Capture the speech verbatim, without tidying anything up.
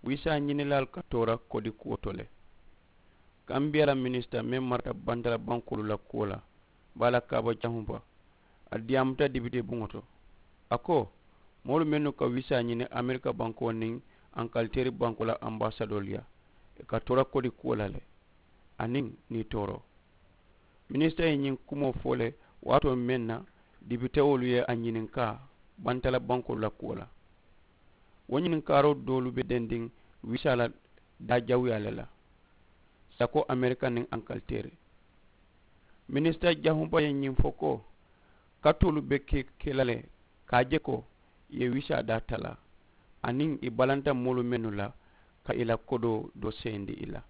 wisaa ñinilaalu ka toora kodi kuwo to le. Kambiya la minisita meŋ marata bantala bankoolu la kuwo la, baa la kaaba jahumpa, a diyaamuta dibitee buŋo to. A ko, moolu mennu ka wisaa ñini amerika bankoo niŋ ankaliteeri bankoo la ambaasadoolu yaa, ì ka toora kodi kuwo la le, aniŋ niitooroo. Minisita ye ñiŋ kumoo fo le waatoo meŋ na, dibitewolu ye a ñininkaa bantala bankoolu la kuwo la. Wo ñininkaaroo doolu be dendiŋ wisaa la daajawuyaa le la, sako amerika niŋ ankaliteeri. Minisita jahumpa ye ñiŋ fo ko, katoolu be ke la le ka a je ko ì ye wisaa daa talaa, aniŋ ì balanta moolu mennu la ka ì la kodoo doo seyindi ì la.